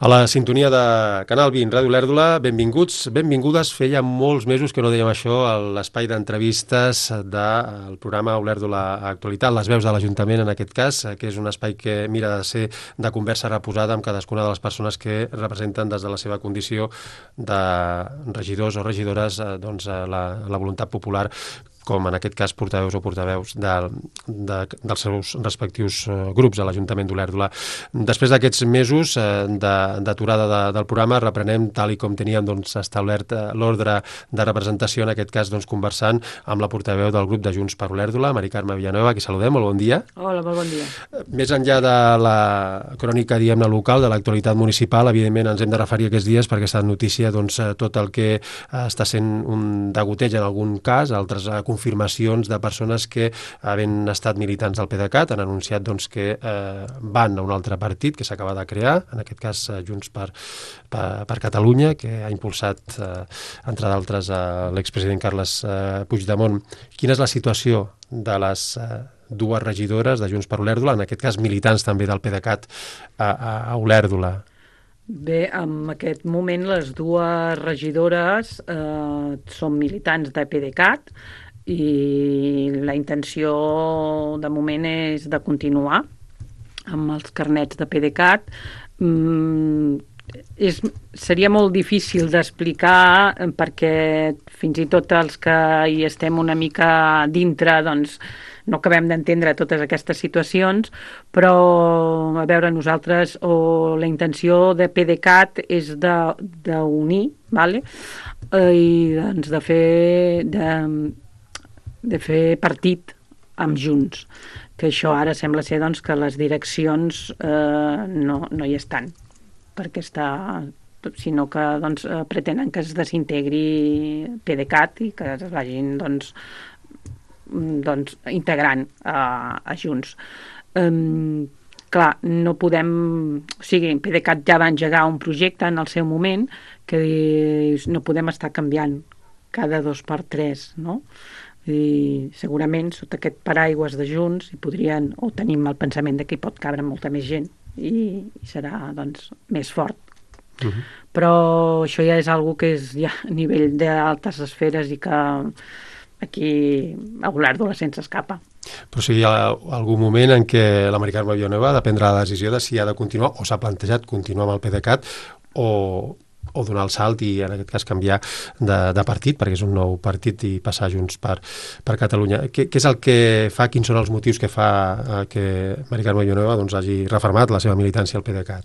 A la sintonia de Canal 20, Ràdio Olèrdola, benvinguts, benvingudes. Feia molts mesos que no dèiem això a l'espai d'entrevistes del programa Olèrdola Actualitat, les veus de l'Ajuntament en aquest cas, que és un espai que mira de ser de conversa reposada amb cadascuna de les persones que representen des de la seva condició de regidors o regidores la voluntat popular, com en aquest cas portaveus o portaveus dels seus respectius grups a l'Ajuntament d'Olèrdola. Després d'aquests mesos d'aturada del programa, reprenem tal i com teníem establert l'ordre de representació, en aquest cas conversant amb la portaveu del grup de Junts per Olèrdola, Mari Carme Villanueva, qui saludem, molt bon dia. Hola, molt bon dia. Més enllà de la crònica, diguem-ne, local, de l'actualitat municipal, evidentment ens hem de referir aquests dies perquè està en notícia tot el que està sent un degoteig en algun cas, altres confirmacions de persones que, havent estat militants del PDeCAT, han anunciat que van a un altre partit que s'acaba de crear, en aquest cas Junts per Catalunya, que ha impulsat, entre d'altres, l'expresident Carles Puigdemont. Quina és la situació de les dues regidores de Junts per Olèrdola, en aquest cas militants també del PDeCAT a Olèrdola? Bé, en aquest moment les dues regidores són militants de PDeCAT i la intenció de moment és de continuar amb els carnets de PDeCAT. Seria molt difícil d'explicar perquè fins i tot els que hi estem una mica dintre no acabem d'entendre totes aquestes situacions, però a veure, nosaltres la intenció de PDeCAT és d'unir, vale? I de fer partit amb Junts, que això ara sembla ser que les direccions no hi estan, perquè sinó que pretenen que es desintegri PDeCAT i que es vagin integrant a Junts. Clar, no podem... O sigui, PDeCAT ja va engegar un projecte en el seu moment que no podem estar canviant cada 2x3, no? I segurament sota aquest paraigües de Junts hi podrien, o tenim el pensament que hi pot cabre molta més gent i serà més fort. Però això ja és algo que és ja a nivell d'altes esferes i que aquí a Olèrdola se'ns escapa. Però si hi ha algun moment en què la Mari Carme Villanueva ha de prendre la decisió de si ha de continuar o s'ha plantejat continuar amb el PDeCAT o donar el salt i en aquest cas canviar de partit, perquè és un nou partit, i passar Junts per Catalunya. Què és el que fa, quins són els motius que fa que Mari Carme Villanueva hagi refermat la seva militància al PDeCAT?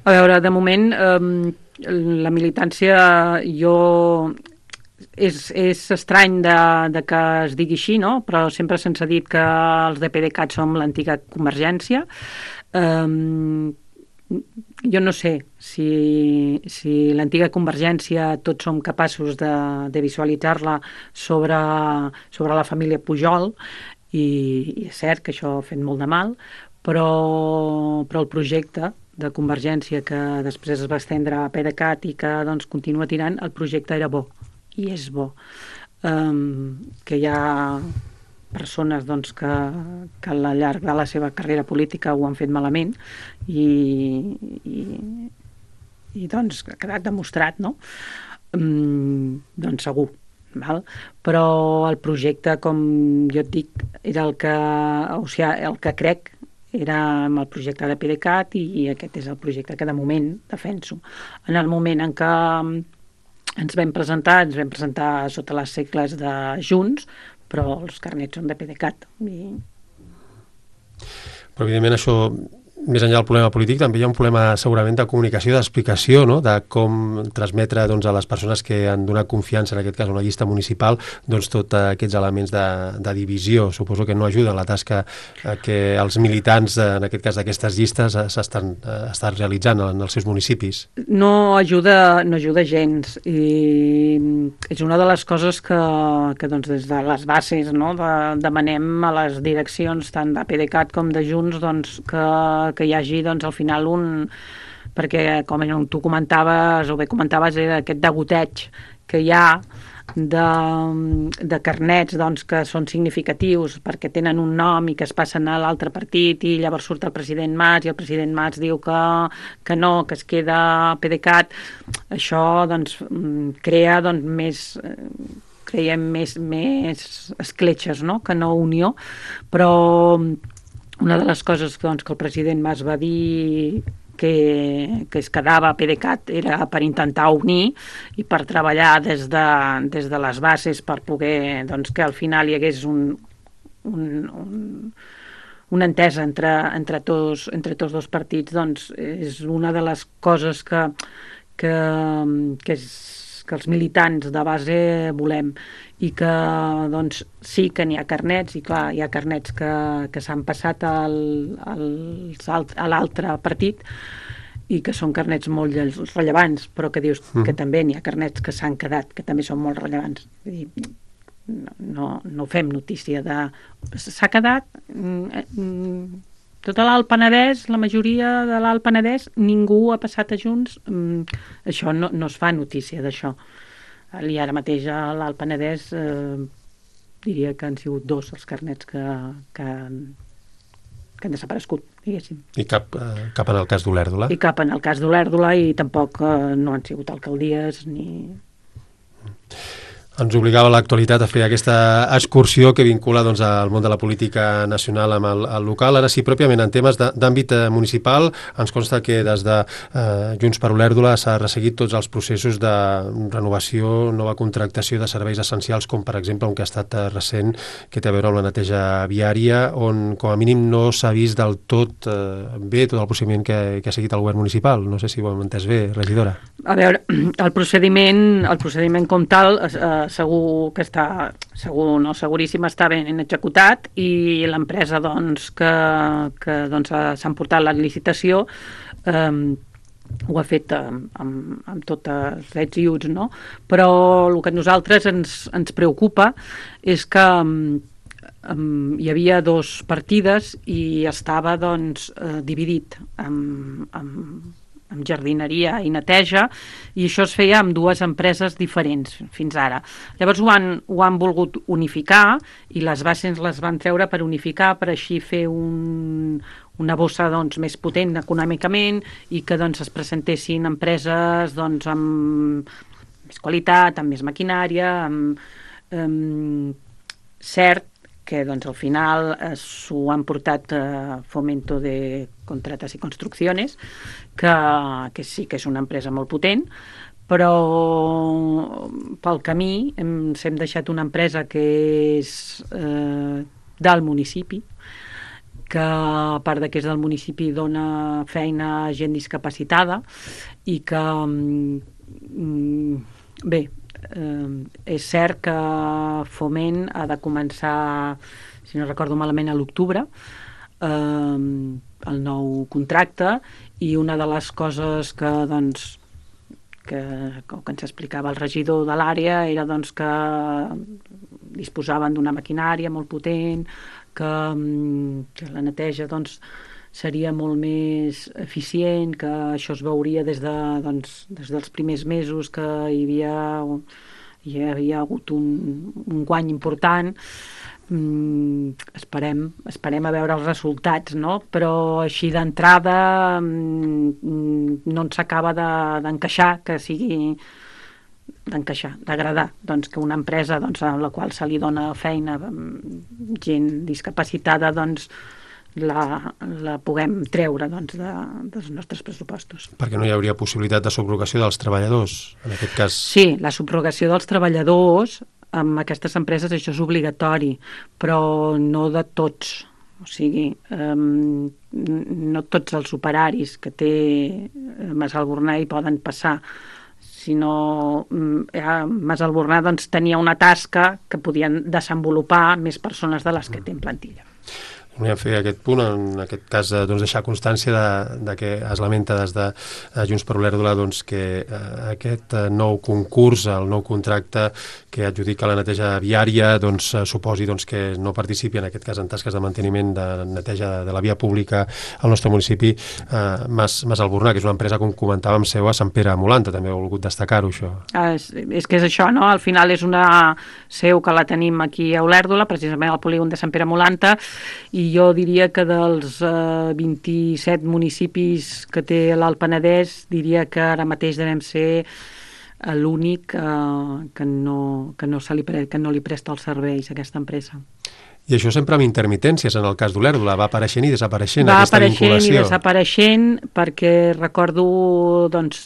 A veure, de moment la militància és estrany de que es digui així, no? Però sempre se'ns ha dit que els de PDeCAT som l'antiga Convergència. Jo no sé si l'antiga Convergència tots som capaços de visualitzar-la sobre la família Pujol, i és cert que això ha fet molt de mal, però el projecte de Convergència que després es va estendre a PDeCAT i que continua tirant, el projecte era bo i és bo. Que hi ha persones que al llarg de la seva carrera política ho han fet malament i ha quedat demostrat, no? Segur, val? Però el projecte, com jo et dic, era el que crec era amb el projecte de PDeCAT i aquest és el projecte que de moment defenso. En el moment en què ens vam presentar sota les segles de Junts, però els carnets són de PDeCAT. Però evidentment això, més enllà del problema polític, també hi ha un problema segurament de comunicació, d'explicació, no? De com transmetre a les persones que han donat confiança, en aquest cas una llista municipal, tots aquests elements de divisió. Suposo que no ajuda la tasca que els militants, en aquest cas d'aquestes llistes, estan realitzant en els seus municipis. No ajuda gens, i és una de les coses que des de les bases, no, demanem a les direccions tant de PDeCAT com de Junts que hi hagi al final perquè com tu comentaves o bé comentaves era aquest degoteig que hi ha de carnets doncs, que són significatius perquè tenen un nom i que es passen a l'altre partit i llavors surt el president Mas i el president Mas diu que no, que es queda PDeCAT, això doncs, crea doncs, més escletxes, no? Que no unió, però una de les coses doncs, que el president Mas va dir que es quedava a PDeCAT era per intentar unir i per treballar des de les bases per poder doncs, que al final hi hagués una entesa entre tots dos partits, doncs és una de les coses que els militants de base volem i que doncs, sí que n'hi ha carnets i clar, hi ha carnets que s'han passat a l'altre partit i que són carnets molt rellevants, però que dius que també n'hi ha carnets que s'han quedat, que també són molt rellevants. No fem notícia de... S'ha quedat... Tota l'Alt Penedès, la majoria de l'Alt Penedès, ningú ha passat a Junts. Això no es fa notícia d'això. I ara mateix a l'Alt Penedès diria que han sigut 2 els carnets que han desaparegut, diguéssim. I cap en el cas d'Olèrdola? I cap en el cas d'Olèrdola i tampoc no han sigut alcaldies ni... Ens obligava l'actualitat a fer aquesta excursió que vincula doncs, al món de la política nacional amb el local. Ara sí, pròpiament en temes d'àmbit municipal, ens consta que des de Junts per Olèrdola s'ha resseguit tots els processos de renovació, nova contractació de serveis essencials, com per exemple un que ha estat recent, que té a veure amb la neteja viària, on com a mínim no s'ha vist del tot bé tot el procediment que ha seguit el govern municipal. No sé si ho hem entès bé, regidora. A veure, el procediment com tal segur que està, seguríssim està ben executat i l'empresa doncs, que s'ha emportat la licitació ho ha fet amb tots els drets i uts, no? Però el que a nosaltres ens preocupa és que hi havia 2 partides i estava doncs, dividit amb jardineria i neteja, i això es feia amb 2 empreses diferents fins ara. Llavors ho han volgut unificar i les bases les van treure per unificar, per així fer una bossa doncs, més potent econòmicament i que doncs, es presentessin empreses doncs, amb més qualitat, amb més maquinària, cert que doncs, al final s'ho han portat Fomento de Contratas y Construcciones, que sí que és una empresa molt potent, però pel camí ens hem deixat una empresa que és del municipi, que a part que és del municipi dona feina a gent discapacitada i que bé, és cert que Foment ha de començar, si no recordo malament, a l'octubre el nou contracte, i una de les coses que ens explicava el regidor de l'àrea era doncs, que disposaven d'una maquinària molt potent, que la neteja doncs, seria molt més eficient, que això es veuria des dels primers mesos que hi havia hagut un guany important. Esperem a veure els resultats, no? Però així d'entrada no ens acaba d'encaixar, que sigui d'agradar, doncs, que una empresa doncs, a la qual se li dona feina gent discapacitada doncs, la puguem treure doncs, dels nostres pressupostos. Perquè no hi hauria possibilitat de subrogació dels treballadors, en aquest cas? Sí, la subrogació dels treballadors amb aquestes empreses això és obligatori, però no de tots. O sigui, no tots els operaris que té Mas Albornà hi poden passar, sinó Mas Albornà doncs, tenia una tasca que podien desenvolupar més persones de les que té en plantilla. Volíem fer aquest punt, en aquest cas doncs, deixar constància de que es lamenta des de Junts per Olèrdola doncs, que aquest nou concurs, el nou contracte que adjudica la neteja viària doncs, suposi doncs, que no participi en aquest cas en tasques de manteniment de neteja de la via pública al nostre municipi Mas Albornà, que és una empresa, com comentàvem, seu a Sant Pere Molanta, també he volgut destacar-ho això. És que és això, no? Al final és una seu que la tenim aquí a Olèrdola, precisament al polígon de Sant Pere Molanta, i jo diria que dels 27 municipis que té l'Alt Penedès, diria que ara mateix devem ser l'únic que no li presta els serveis a aquesta empresa. I això sempre amb intermitències, en el cas d'Olèrdola, va apareixent i desapareixent aquesta vinculació. Va apareixent i desapareixent, perquè recordo doncs,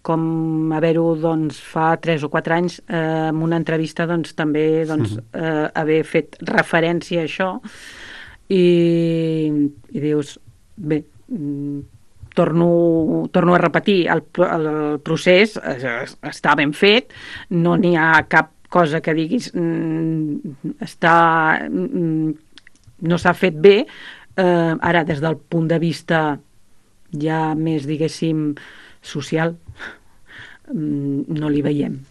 com haver-ho doncs, fa 3 o 4 anys en una entrevista doncs, també doncs, haver fet referència a això i dius, bé, torno a repetir, el procés està ben fet, no n'hi ha cap cosa que diguis no s'ha fet bé, ara des del punt de vista ja més, diguéssim, social, no li veiem.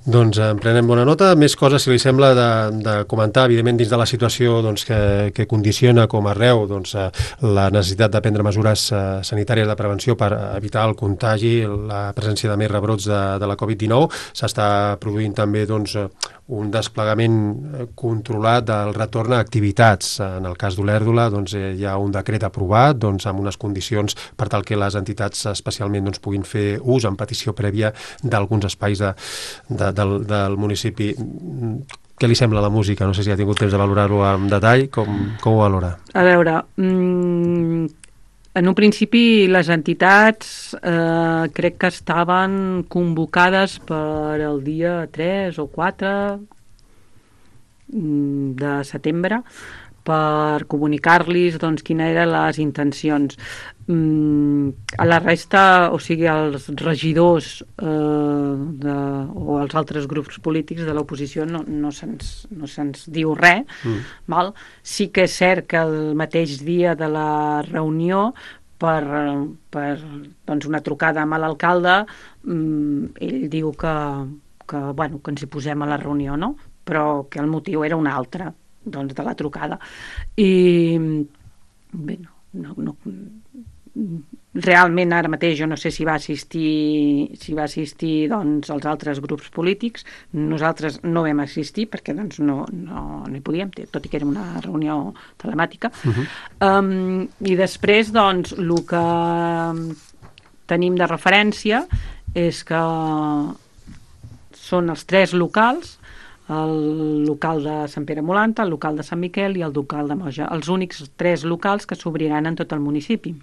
Doncs en prenem bona nota. Més coses, si li sembla, de comentar, evidentment, dins de la situació doncs, que condiciona com arreu doncs, la necessitat de prendre mesures sanitàries de prevenció per evitar el contagi, la presència de més rebrots de la Covid-19. S'està produint també doncs, un desplegament controlat del retorn a activitats. En el cas d'Olèrdola doncs, hi ha un decret aprovat doncs, amb unes condicions per tal que les entitats especialment doncs, puguin fer ús en petició prèvia d'alguns espais del municipi. Què li sembla la música? No sé si ha tingut temps de valorar-ho en detall. Com ho valora? A veure, en un principi les entitats crec que estaven convocades per el dia 3 o 4 de setembre per comunicar-los doncs, quines eren les intencions. A la resta, o sigui, els regidors o els altres grups polítics de l'oposició no se'ns diu res. Val? Sí que és cert que el mateix dia de la reunió, per doncs, una trucada amb l'alcalde, ell diu que ens hi posem a la reunió, no? Però que el motiu era un altre, doncs, de la trucada. I bé, no, realment ara mateix jo no sé si va assistir doncs, els altres grups polítics. Nosaltres no vam assistir perquè doncs, no hi podíem, tot i que era una reunió telemàtica. I després doncs, el que tenim de referència és que són els 3 locals, el local de Sant Pere Molanta, el local de Sant Miquel i el local de Moja, els únics 3 locals que s'obriran en tot el municipi.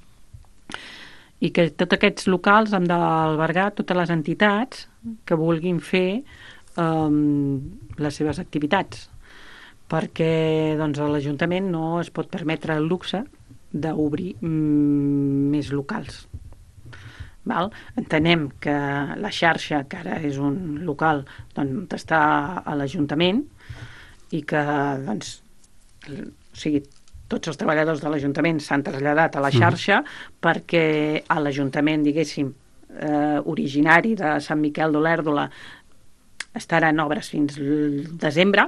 I que tots aquests locals han d'albergar totes les entitats que vulguin fer les seves activitats, perquè doncs, l'Ajuntament no es pot permetre el luxe d'obrir més locals. Val? Entenem que la xarxa, que ara és un local, doncs, està a l'Ajuntament i que doncs, o sigui, tots els treballadors de l'Ajuntament s'han traslladat a la xarxa perquè a l'Ajuntament, diguéssim, originari de Sant Miquel d'Olèrdola estaran obres fins al desembre.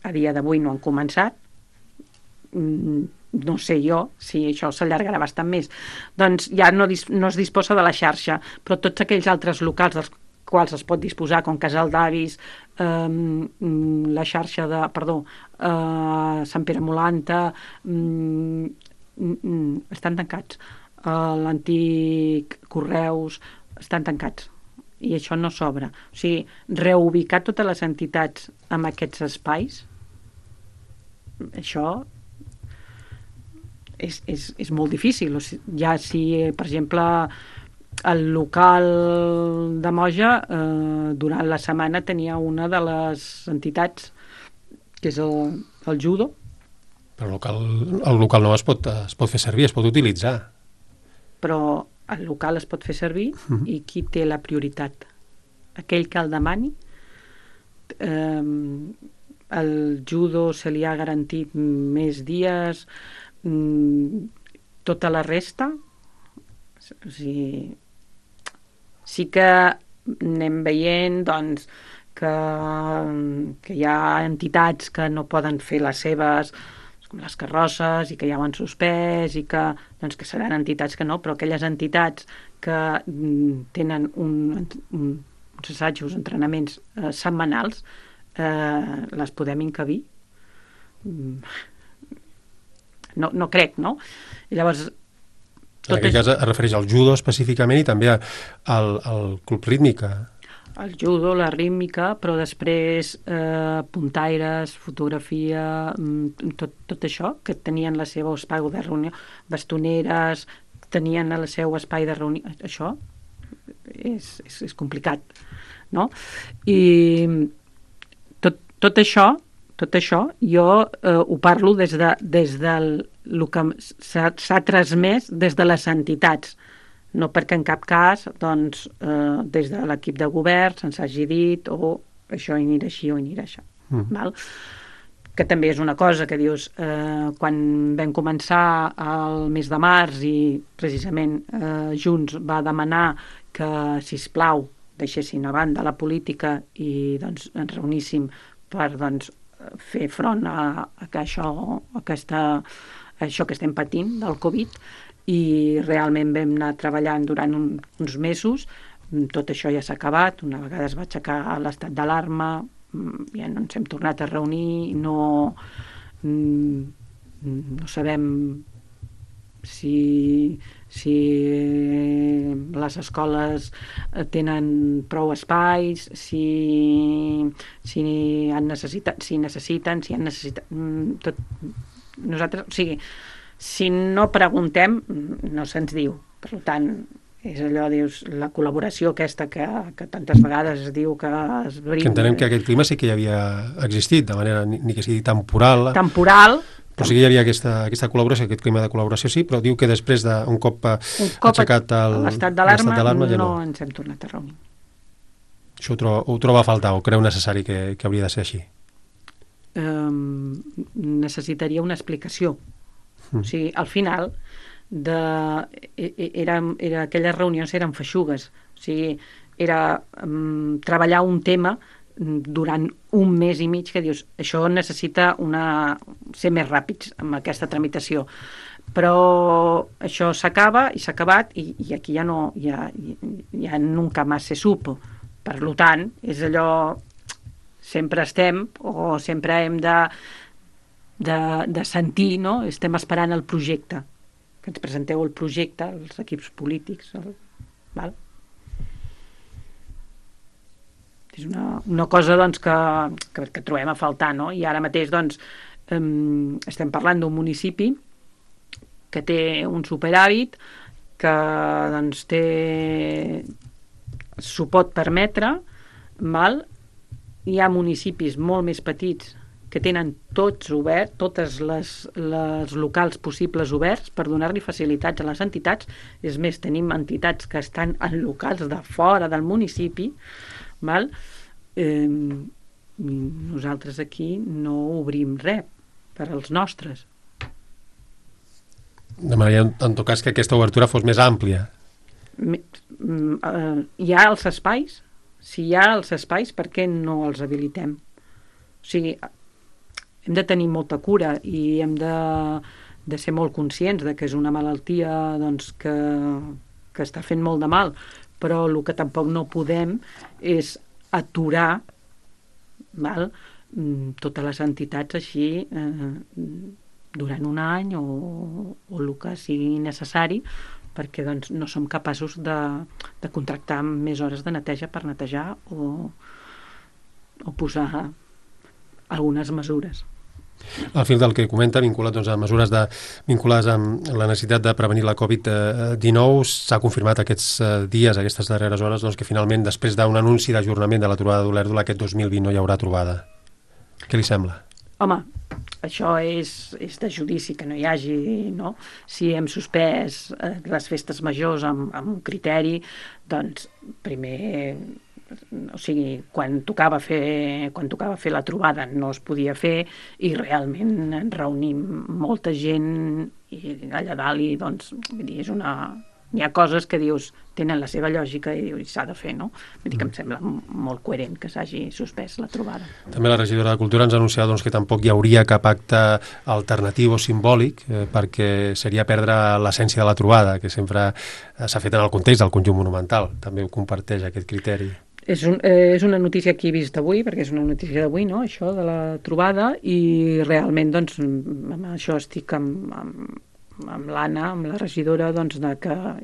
A dia d'avui no han començat. No sé jo si això s'allargarà bastant més. Doncs ja no es disposa de la xarxa, però tots aquells altres locals dels quals es pot disposar, com Casal d'Avis, la xarxa de, Sant Pere Molanta, estan tancats. L'antic Correus estan tancats. I això no s'obre. O sigui, reubicar totes les entitats en aquests espais, això és molt difícil. O sigui, ja si, per exemple, el local de Moja durant la setmana tenia una de les entitats que és el judo. Però el local no es pot fer servir, es pot utilitzar. Però el local es pot fer servir i qui té la prioritat? Aquell que el demani. el judo se li ha garantit més dies, tota la resta, o sigui, sí que anem veient, doncs, que hi ha entitats que no poden fer les seves, com les carrosses, i que ja ho han suspès, i que, doncs, que seran entitats que no, però aquelles entitats que tenen uns assajos, entrenaments setmanals, les podem encabir. No crec, no? I llavors... En aquest cas es refereix al judo específicament i també al club rítmica. El judo, la rítmica, però després puntaires, fotografia, tot això, que tenien la seva espai de reunió, bastoneres, tenien el seu espai de reunió, això és complicat, no? I tot això jo ho parlo des del que s'ha transmès des de les entitats, no perquè en cap cas doncs, des de l'equip de govern se'ns hagi dit o això anirà així o anirà això. Val? Que també és una cosa que dius, quan vam començar el mes de març i precisament Junts va demanar que, sisplau, deixessin a banda la política i doncs, ens reuníssim per doncs, fer front a això que estem patint del Covid, i realment vam anar treballant durant uns mesos. Tot això ja s'ha acabat, una vegada es va aixecar l'estat d'alarma, ja no ens hem tornat a reunir, no sabem si les escoles tenen prou espais, si necessiten tot. Nosaltres, o sigui, si no preguntem, no se'ns diu. Per tant, és allò, dius, la col·laboració aquesta que tantes vegades es diu que es brinda. Que entenem que aquest clima sí que ja havia existit, de manera ni que sigui temporal. Però sí que hi havia aquesta col·laboració, aquest clima de col·laboració, sí, però diu que després d'un cop aixecat l'estat d'alarma ja no ens hem tornat a reunir. Això ho troba a faltar o creu necessari que hauria de ser així? Necessitaria una explicació. O sigui, al final aquelles reunions eren feixugues, o sigui, era treballar un tema durant un mes i mig que dius, això necessita ser més ràpids amb aquesta tramitació, però això s'acaba i s'ha acabat i aquí ja no ja nunca más se supo. Per tant, és allò, sempre estem o sempre hem de sentir, no? Estem esperant el projecte, que ens presenteu el projecte, els equips polítics, val? És una cosa doncs, que trobem a faltar, no? I ara mateix doncs, estem parlant d'un municipi que té un superàvit, que doncs, s'ho pot permetre, val? Hi ha municipis molt més petits que tenen tots oberts, totes les locals possibles oberts per donar-li facilitats a les entitats. És més, tenim entitats que estan en locals de fora del municipi, val? Nosaltres aquí no obrim res per als nostres. Demanaria, en tot cas, que aquesta obertura fos més àmplia. Hi ha els espais? Si hi ha els espais, per què no els habilitem? O sigui, hem de tenir molta cura i hem de ser molt conscients de que és una malaltia doncs, que està fent molt de mal, però el que tampoc no podem és aturar, val? Totes les entitats així durant un any o el que sigui necessari, perquè doncs, no som capaços de contractar més hores de neteja per netejar o posar algunes mesures. Al fil del que comenta, vinculat doncs, a mesures vinculades amb la necessitat de prevenir la Covid-19, s'ha confirmat aquests dies, aquestes darreres hores, doncs, que finalment, després d'un anunci d'ajornament de la trobada d'Olèrdola, aquest 2020 no hi haurà trobada. Què li sembla? Home, això és de judici que no hi hagi, no? Si hem suspès les festes majors amb un criteri, doncs primer o sigui, quan tocava fer la trobada no es podia fer i realment ens reunim molta gent i allà dalt i doncs, vull dir, hi ha coses que dius, tenen la seva lògica i dius, s'ha de fer, no? Vull dir que em sembla molt coherent que s'hagi suspès la trobada. També la regidora de Cultura ens ha anunciat que tampoc hi hauria cap acte alternatiu o simbòlic perquè seria perdre l'essència de la trobada, que sempre s'ha fet en el context del conjunt monumental. També ho comparteix aquest criteri. És una notícia que he vist avui, perquè és una notícia d'avui, no?, això de la trobada, i realment, doncs, amb això estic amb l'Anna, amb la regidora, doncs,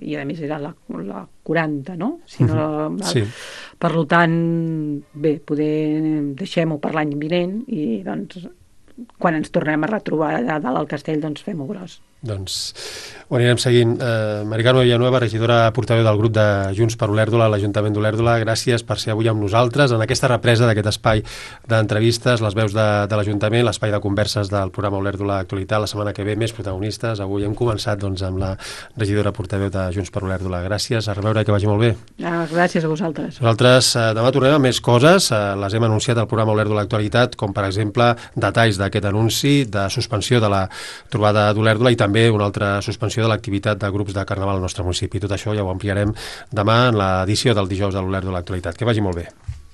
i a més era la 40, no? Si no sí. Per tant, bé, deixem-ho per l'any vinent i, doncs, quan ens tornem a retrobar allà dalt al castell, doncs fem-ho gros. Doncs ho anirem seguint. Mari Carme Villanueva, regidora portaveu del grup de Junts per Olèrdola a l'Ajuntament d'Olèrdola, gràcies per ser avui amb nosaltres en aquesta represa d'aquest espai d'entrevistes, les veus de l'Ajuntament, l'espai de converses del programa Olèrdola Actualitat. La setmana que ve més protagonistes. Avui hem començat amb la regidora portaveu de Junts per Olèrdola. Gràcies, a reveure, que vagi molt bé. Gràcies a vosaltres. Nosaltres demà tornem amb més coses. Les hem anunciat al programa Olèrdola Actualitat, com per exemple detalls d'aquest anunci de suspensió de la trobada d'Olèrdola i també una altra suspensió de l'activitat de grups de carnaval al nostre municipi. Tot això ja ho ampliarem demà en l'edició del dijous de l'Olèrdola Actualitat. Que vagi molt bé.